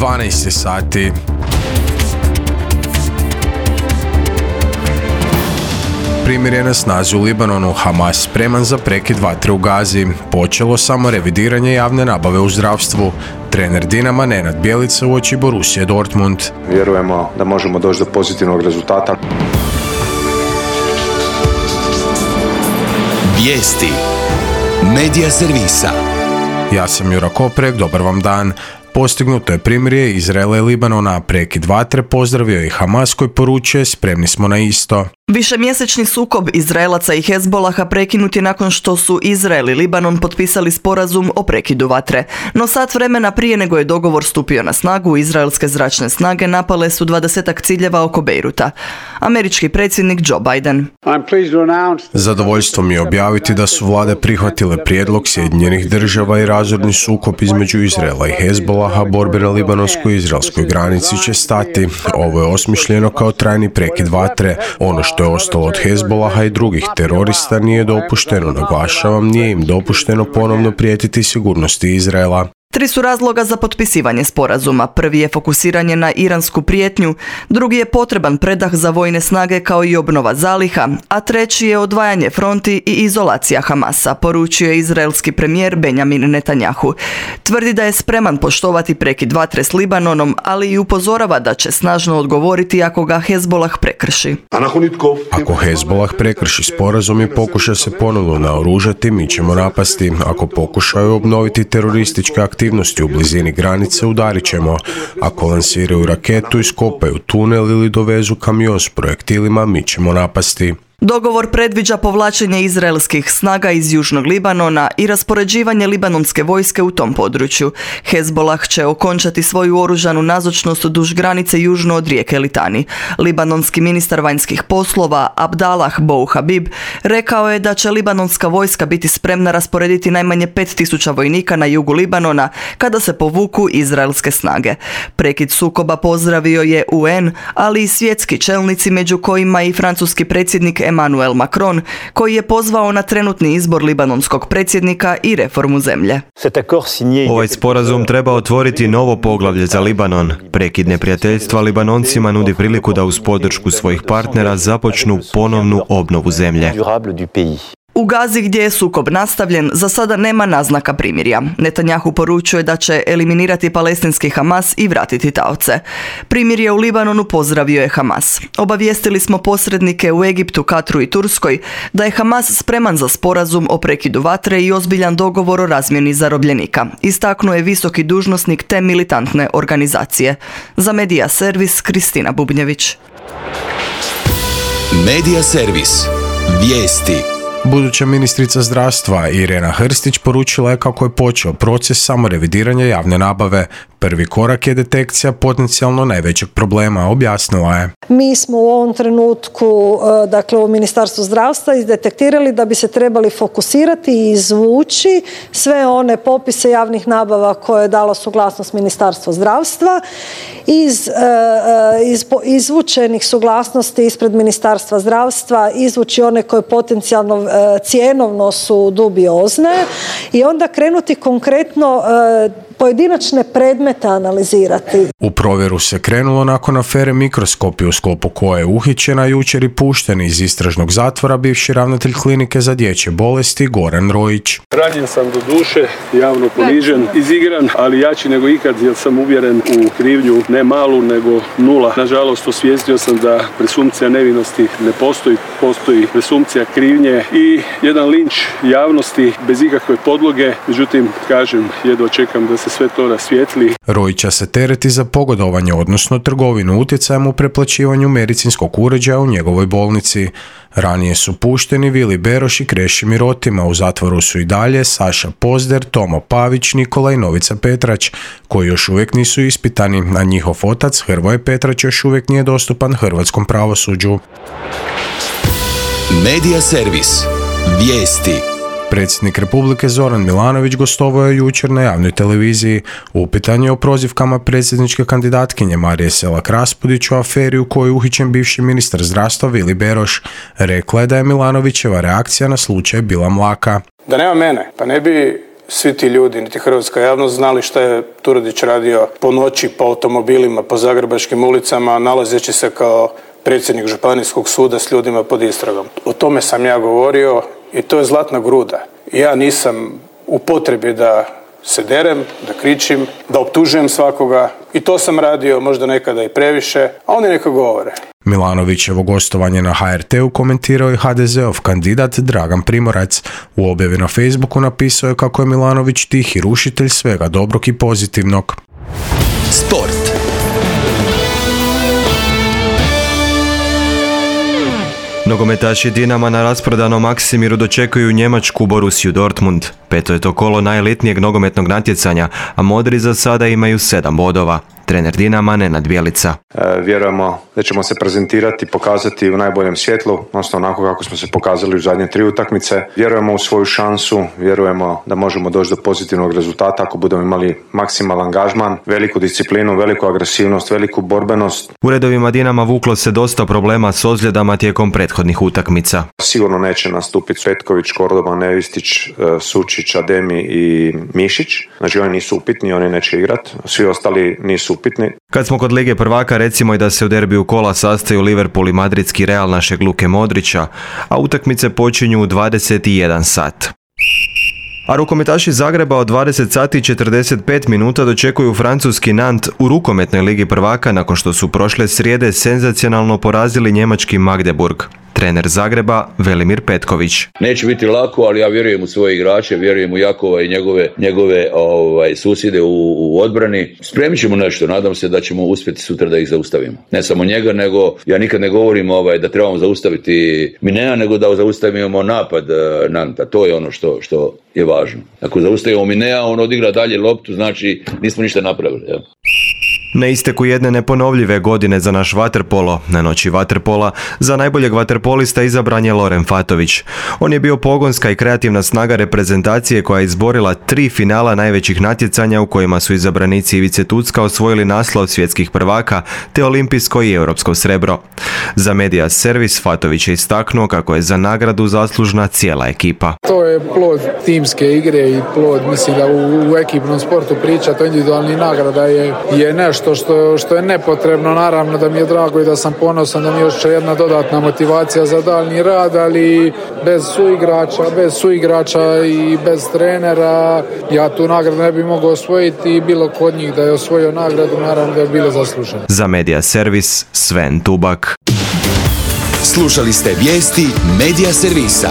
12 sati. Primjer je na snazi u Libanonu, Hamas spreman za prekid vatre u Gazi. Počelo samo revidiranje javne nabave u zdravstvu. Trener Dinama Nenad Bjelica uoči Borussije Dortmund. Vjerujemo da možemo doći do pozitivnog rezultata. Vijesti Medija servisa. Ja sam Jura Koprek, dobar vam dan. Postignuto je primirje Izraela i Libanona, prekid vatre pozdravio i Hamas koji poručuje spremni smo na isto. Višemjesečni sukob Izraelaca i Hezbolaha prekinut je nakon što su Izrael i Libanon potpisali sporazum o prekidu vatre. No sat vremena prije nego je dogovor stupio na snagu, izraelske zračne snage napale su 20 ciljeva oko Bejruta. Američki predsjednik Joe Biden. Zadovoljstvo mi je objaviti da su vlade prihvatile prijedlog Sjedinjenih država i razorni sukob između Izraela i Hezbolaha, borbe na libanonskoj i izraelskoj granici će stati. Ovo je osmišljeno kao trajni prekid vatre. Ono što je ostalo od Hezbolaha i drugih terorista nije dopušteno, naglašavam, nije im dopušteno ponovno prijetiti sigurnosti Izraela. 3 su razloga za potpisivanje sporazuma. Prvi je fokusiranje na iransku prijetnju, drugi je potreban predah za vojne snage kao i obnova zaliha, a treći je odvajanje fronti i izolacija Hamasa, poručio je izraelski premijer Benjamin Netanjahu. Tvrdi da je spreman poštovati prekid vatre s Libanonom, ali i upozorava da će snažno odgovoriti ako ga Hezbolah prekrši. Ako Hezbolah prekrši sporazum i pokuša se ponovno naoružati, mi ćemo napasti. Ako pokušaju obnoviti terorističke aktivnosti u blizini granice, udarit ćemo. Ako lansiraju raketu, iskopaju tunel ili dovezu kamion s projektilima, mi ćemo napasti. Dogovor predviđa povlačenje izraelskih snaga iz južnog Libanona i raspoređivanje libanonske vojske u tom području. Hezbolah će okončati svoju oružanu nazočnost duž granice južno od rijeke Litani. Libanonski ministar vanjskih poslova Abdallah Bouhabib rekao je da će libanonska vojska biti spremna rasporediti najmanje 5000 vojnika na jugu Libanona kada se povuku izraelske snage. Prekid sukoba pozdravio je UN, ali i svjetski čelnici, među kojima i francuski predsjednik Emmanuel Macron, koji je pozvao na trenutni izbor libanonskog predsjednika i reformu zemlje. Ovaj sporazum treba otvoriti novo poglavlje za Libanon. Prekid neprijateljstva Libanoncima nudi priliku da uz podršku svojih partnera započnu ponovnu obnovu zemlje. U Gazi, gdje je sukob nastavljen, za sada nema naznaka primirja. Netanjahu poručuje da će eliminirati palestinski Hamas i vratiti taoce. Primirje u Libanonu pozdravio je Hamas. Obavijestili smo posrednike u Egiptu, Katru i Turskoj da je Hamas spreman za sporazum o prekidu vatre i ozbiljan dogovor o razmjeni zarobljenika. Istaknuo je visoki dužnosnik te militantne organizacije. Za Medija servis Kristina Bubnjević. Medija servis. Vijesti. Buduća ministrica zdravstva Irena Hrstić poručila je kako je počeo proces samorevidiranja javne nabave. Prvi korak je detekcija potencijalno najvećeg problema, objasnila je. Mi smo u ovom trenutku, dakle u Ministarstvu zdravstva, izdetektirali da bi se trebali fokusirati i izvući sve one popise javnih nabava koje je dalo suglasnost Ministarstvo zdravstva. Iz izvučenih suglasnosti ispred Ministarstva zdravstva izvući one koje potencijalno cjenovno su dubiozne i onda krenuti konkretno pojedinačne predmete analizirati. U provjeru se krenulo nakon afere Mikroskopi, u sklopu koje je uhićena jučer i pušten iz istražnog zatvora bivši ravnatelj klinike za dječje bolesti Goran Rojić. Ranjen sam do duše, javno ponižen, izigran, ali jači nego ikad jer sam uvjeren u krivnju ne malu nego nula. Nažalost, osvijestio sam da presumpcija nevinosti ne postoji, postoji presumpcija krivnje i jedan linč javnosti bez ikakve podloge. Međutim, kažem, jedva čekam da se sve to rasvijetli. Rojića se tereti za pogodovanje, odnosno trgovinu utjecajem u preplaćivanju medicinskog uređaja u njegovoj bolnici. Ranije su pušteni Vili Beroš i Krešimir Rotima, u zatvoru su i dalje Saša Pozder, Tomo Pavić, Nikola i Novica Petrać, koji još uvijek nisu ispitani, a njihov otac Hrvoje Petrać još uvijek nije dostupan hrvatskom pravosuđu. Medija servis. Vijesti. Predsjednik Republike Zoran Milanović gostovao je jučer na javnoj televiziji. Upitan je o prozivkama predsjedničke kandidatkinje Marije Selak-Raspudić u aferi u kojoj je uhićen bivši ministar zdravstva Vili Beroš. Rekla je da je Milanovićeva reakcija na slučaj bila mlaka. Da nema mene, pa ne bi svi ti ljudi, niti hrvatska javnost znali šta je Turudić radio po noći, po automobilima, po zagrebačkim ulicama, nalazeći se kao predsjednik županijskog suda s ljudima pod istragom. O tome sam ja govorio i to je zlatna gruda. Ja nisam u potrebi da se derem, da kričim, da optužujem svakoga i to sam radio možda nekada i previše, a oni neka govore. Milanovićevo gostovanje na HRT-u komentirao je HDZ-ov kandidat Dragan Primorac. U objavi na Facebooku napisao je kako je Milanović tihi rušitelj svega dobrog i pozitivnog. Sport. Nogometaši Dinama na rasprodanom Maksimiru dočekuju njemačku Borussiju Dortmund. Peto je to kolo najelitnijeg nogometnog natjecanja, a modri za sada imaju 7 bodova. Trener Dinama Nenad Bjelica. Vjerujemo da ćemo se prezentirati, pokazati u najboljem svjetlu, odnosno onako kako smo se pokazali u zadnje 3 utakmice. Vjerujemo u svoju šansu, vjerujemo da možemo doći do pozitivnog rezultata ako budemo imali maksimalan angažman, veliku disciplinu, veliku agresivnost, veliku borbenost. U redovima Dinama vuklo se dosta problema s ozljedama tijekom prethodnih utakmica. Sigurno neće nastupiti Petković, Kordoba, Nevistić, Sučić, Ademi i Mišić. Znači oni nisu upitni, oni neće igrati. Svi ostali nisu upitni. Kad smo kod Lige prvaka, recimo i da se u derbiju kola sastaju Liverpool i madridski Real našeg Luke Modrića, a utakmice počinju u 21 sat. A rukometaši Zagreba od 20 sati i 45 minuta dočekuju francuski Nantes u rukometnoj Ligi prvaka nakon što su prošle srijede senzacionalno porazili njemački Magdeburg. Trener Zagreba Velimir Petković. Neće biti lako, ali ja vjerujem u svoje igrače, vjerujem u Jakova i njegove susjede u odbrani. Spremit ćemo nešto, nadam se da ćemo uspjeti sutra da ih zaustavimo. Ne samo njega, nego ja nikad ne govorim da trebamo zaustaviti Minea, nego da zaustavimo napad Nanta. To je ono što je važno. Ako zaustavimo Minea, on odigra dalje loptu, znači nismo ništa napravili. Ja. Na isteku jedne neponovljive godine za naš vaterpolo, na noći vaterpola, za najboljeg vaterpolista izabran je Loren Fatović. On je bio pogonska i kreativna snaga reprezentacije koja je izborila 3 finala najvećih natjecanja u kojima su izabranici Ivice Tucka osvojili naslov svjetskih prvaka te olimpijsko i europsko srebro. Za Media Servis Fatović je istaknuo kako je za nagradu zaslužna cijela ekipa. To je plod timske igre i plod, mislim da u ekipnom sportu pričati o individualnih nagrada je nešto što je nepotrebno. Naravno da mi je drago i da sam ponosan da mi je još jedna dodatna motivacija za daljnji rad, ali bez suigrača i bez trenera ja tu nagradu ne bi mogao osvojiti i bilo kod njih da je osvojio nagradu, naravno da je bilo zasluženo. Za Media Servis Sven Tubak. Slušali ste vijesti Media Servisa.